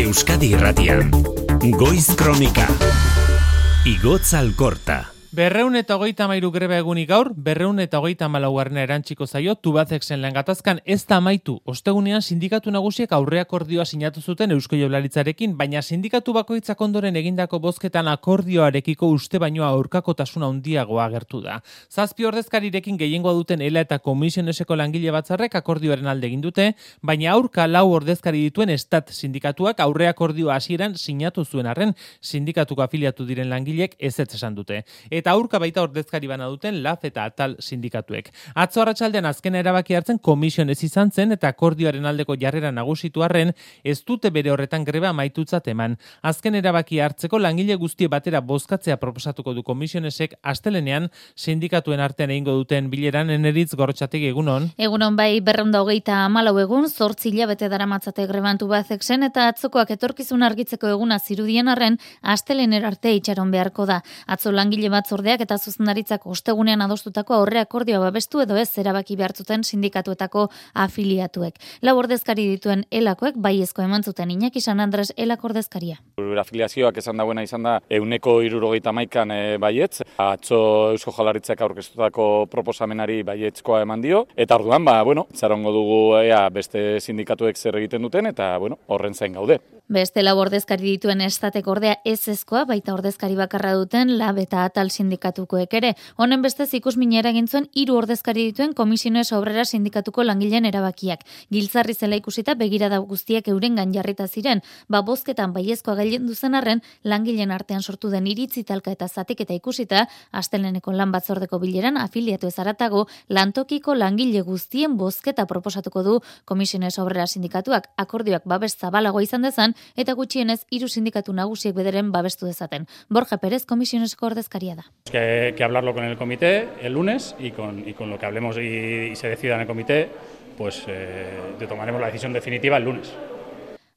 Euskadi Irratian. Goiz Kronika. Igotz Alkorta. 233 greba egunik gaur, 234 erantziko zaio Tubacexen lan gatazkan ez da amaitu. Ostegunean sindikatu nagusiek aurreakordioa sinatu zuten Eusko Jaurlaritzarekin, baina sindikatu bakoitzak ondoren egindako bozketan akordioarekiko uste baino aurkakotasun handiagoa agertu da. 7 ordezkarirekin gehiengoa duten ELA eta Komisioneseko langile batzarrek akordioaren alde egin dute, baina aurka 4 ordezkari dituen Estat sindikatuak aurreakordioa hasieran sinatu zuen arren, sindikatuko afiliatu diren langileek ezetz esan dute. Eta aurka baita ordezkari bana duten LAF eta ATAL sindikatuek. Atzo arratsaldean azken erabaki hartzen Komisiones izan zen eta akordioaren aldeko jarrera nagusitu arren ez dute bere horretan greba amaitutzat eman. Azken erabaki hartzeko langile guztie batera bozkatzea proposatuko du Komisionesek astelenean sindikatuen artean egingo duten bileran. Eneritz Gorrotxategi, egunon. Egunon bai, 234 egun, 8 hilabete daramatzate greban Tubacexen eta atzokoak etorkizun argitzeko eguna zirudien arren astelenera arte itxaron beharko da. Atzo langile batzordeak eta zuzendaritzak ostegunean adostutako aurreakordioa babestu edo ez erabaki behartzuten sindikatuetako afiliatuek. 4 ordezkari dituen ELAkoek baiezko eman zuten. Iñaki San Andres ELAko ordezkaria. Afiliazioak esan dauena izan da 171an baietz. Atzo Eusko Jaurlaritzak aurkeztutako proposamenari baietzkoa eman dio. Eta orduan, itxarongo dugu beste sindikatuek zer egiten duten eta horren zain gaude. Beste 4 ordezkari dituen Estatek ordea ezezkoa, baita ordezkari bakarra duten LAB eta ATAL sindikatukoek ere. Honen bestez ikusminera egin zuen 3 ordezkari dituen Komisiones Obrera sindikatuko langileen erabakiak. Giltzarri zela ikusita begirada guztiak eurengan jarrita ziren, bozketan baiezkoa gailendu zen arren langileen artean sortu den iritzi talka eta zatiketa ikusita, asteleneko lan batzordeko bileran afiliatu ez haratago lantokiko langile guztien bozketa proposatuko du Komisiones Obrera sindikatuak. Akordioak babes zabalagoa izan dezan eta gutxienez 3 sindikatu nagusiek bederen babestu dezaten. Borja Pérez, Komisioneseko ordezkaria da. Que hablarlo con el comité el lunes y con lo que hablemos y se decida en el comité, pues tomaremos la decisión definitiva el lunes.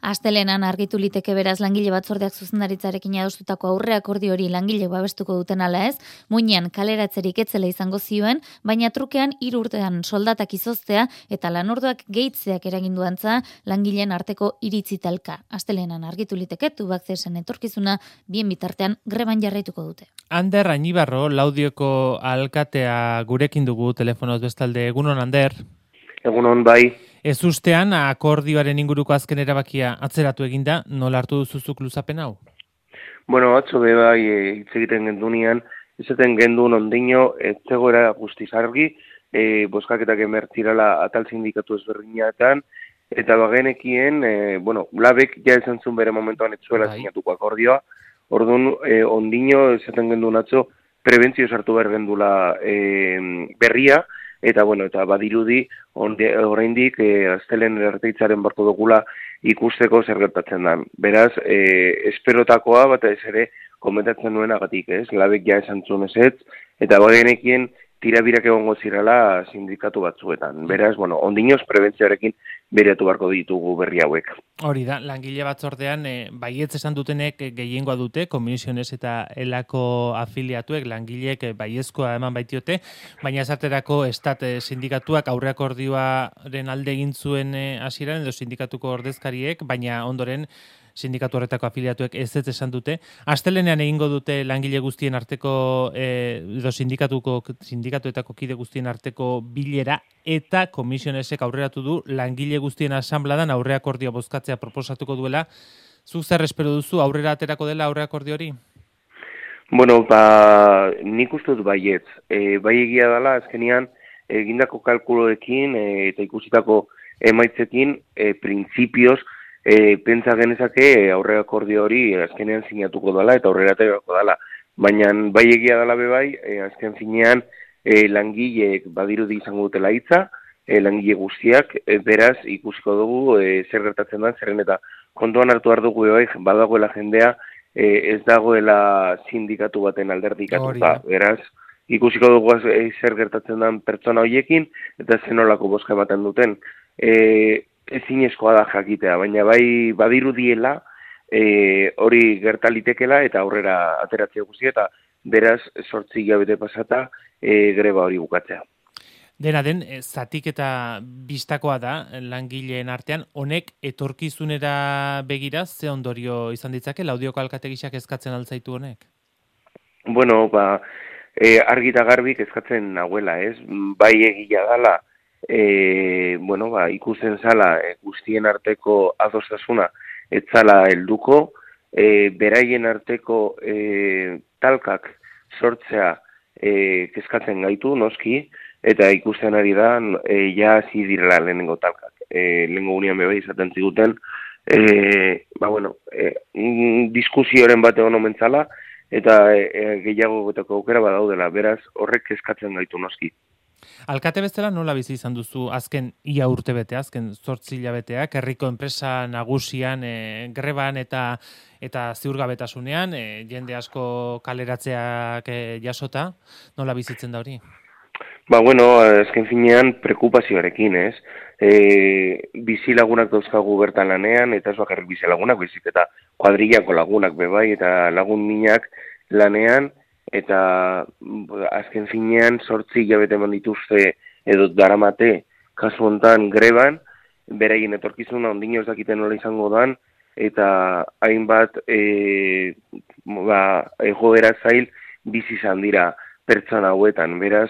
Astelenan argitu liteke beraz langile batzordeak zuzendaritzarekin adostutako aurreakordio hori langile babestuko duten ala ez, muinean kaleratzerik etzela izango zioen, baina trukean 3 urtean soldatak izoztea eta lanorduak gehitzeak eragindu antza langileen arteko iritzi talka. Astelenan argitu liteke Tubacexen etorkizuna bien bitartean greban jarraituko dute. Ander Añibarro, Laudioko alkatea gurekin dugu telefonoz bestalde. Egunon, Ander. Egunon, bai. Ez ustean, akordioaren inguruko azken erabakia atzeratu eginda, nola hartu duzuzuk luzapen hau? Atzo bai hitz egiten gendunean, izaten gendun ondino, zegoera guztiz argi, bozkaketak emertzirala ATAL sindikatu ezberdinatan, eta bagenekien, labek ja esan zuen bere momentuan etzuela sinatuko akordioa, orduan ondino izaten gendun atzo, prebentzio sartu behar gendula berria, eta badirudi oraindik astelen erteitzaren barko dugula ikusteko zer gertatzen da. Beraz, esperotakoa batez ere komentatzen nuenagatik, ez? Labek ja esan zuen ezetz, eta bagenekien tirabirak egongo zirela sindikatu batzuetan. Beraz, ondinoz prebentzioarekin bereatu barko ditugu berri hauek. Hori da, langile batzordean baietz esan dutenek gehiengoa dute, Komisiones eta ELAko afiliatuek, langileek baiezkoa eman baitiote, baina esaterako Estat sindikatuak aurreakordioaren alde egin zuen hasieran edo sindikatuko ordezkariek, baina ondoren sindikatu horretako afiliatuek ez esan dute. Astelenean egingo dute langile guztien arteko edo sindikatuetako kide guztien arteko bilera eta Komisionesek aurreratu du langile guztien asanbladan aurreakordioa bozkatzea proposatuko duela. Zuk zer espero duzu, aurrera aterako dela aurreakordio hori? Nik uste dut baietz. Bai egia dela, azkenean, egindako kalkuloekin eta ikusitako emaitzekin, printzipioz, pentsa genezake aurreakordio hori azkenean sinatuko dela eta aurrera aterako dela. Baina bai egia dela bai, azken finean langileek badirudi izango dutela hitza, langile guztiak, beraz ikusiko dugu zer gertatzen da, zerren eta kontuan hartu behar dugu badagoela jendea ez dagoela sindikatu baten alderdikatuta. Beraz, ikusiko dugu zer gertatzen den pertsona horiekin eta zenolako bozka ematen duten. Ezinezkoa da jakitea, baina bai badirudiela hori gertalitekela eta aurrera ateratzea guzti eta beraz 8 hilabete pasata greba hori bukatzea. Dena den, zatik eta bistakoa da langileen artean, honek etorkizunera begira ze ondorio izan ditzake, Laudioko alkategisak eskatzen altzaitu honek? Bueno, argi eta garbik eskatzen nahuela, ez? Bai egia dala, ikusten zala guztien arteko adostasuna ez zala helduko, beraien arteko talkak sortzea kezkatzen gaitu, noski, eta ikusten ari da, ja hasi direla lehenengo talkak. Lehenengo unian bebe izaten ziguten, diskusioren bat egon omentzala, eta gehiago goteko aukera badaudela, beraz horrek kezkatzen gaitu noski. Alkate bezala nola bizi izan duzu azken ia urtebetea, azken 8 hilabeteak, herriko enpresa nagusian greban eta ziurgabetasunean, jende asko kaleratzeak jasota, nola bizitzen da hori? Azken finean preokupazioarekin, ez? Bizilagunak dauzkagu bertan lanean, eta ez bakarrik bizilagunak, bizik eta kuadrillako lagunak bebai, eta lagun minak lanean, eta azken finean 8 hilabete eman dituzte edo daramate kasu hontan greban, beraien etorkizuna ondino ez dakiten nola izango dan, eta hainbat egoera zail bizi izan dira pertsona hauetan, beraz,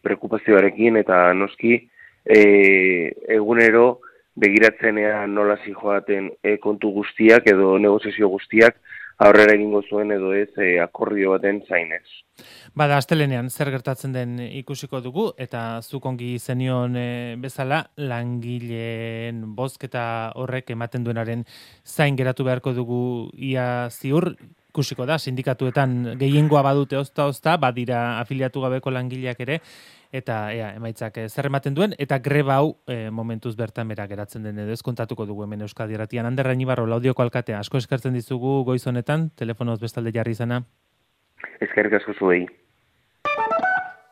preokupazioarekin eta noski egunero begiratzenean nola zijoaten kontu guztiak edo negoziazio guztiak aurrera egingo zuen edo ez akordio baten zainez. Bada, astelenean zer gertatzen den ikusiko dugu, eta zuk ongi zenion bezala langileen bozketa horrek ematen duenaren zain geratu beharko dugu ia ziur, ikusiko da, sindikatuetan gehiengoa badute ozta, badira afiliatu gabeko langileak ere, eta emaitzak zer ematen duen, eta greba hau momentuz bertan bera geratzen den edo kontatuko dugu hemen Euskadi Irratian. Ander Rainibarro, Laudioko alkatea, asko eskertzen dizugu goiz honetan, telefonoz bestalde jarri izana. Eskerrik asko zuei.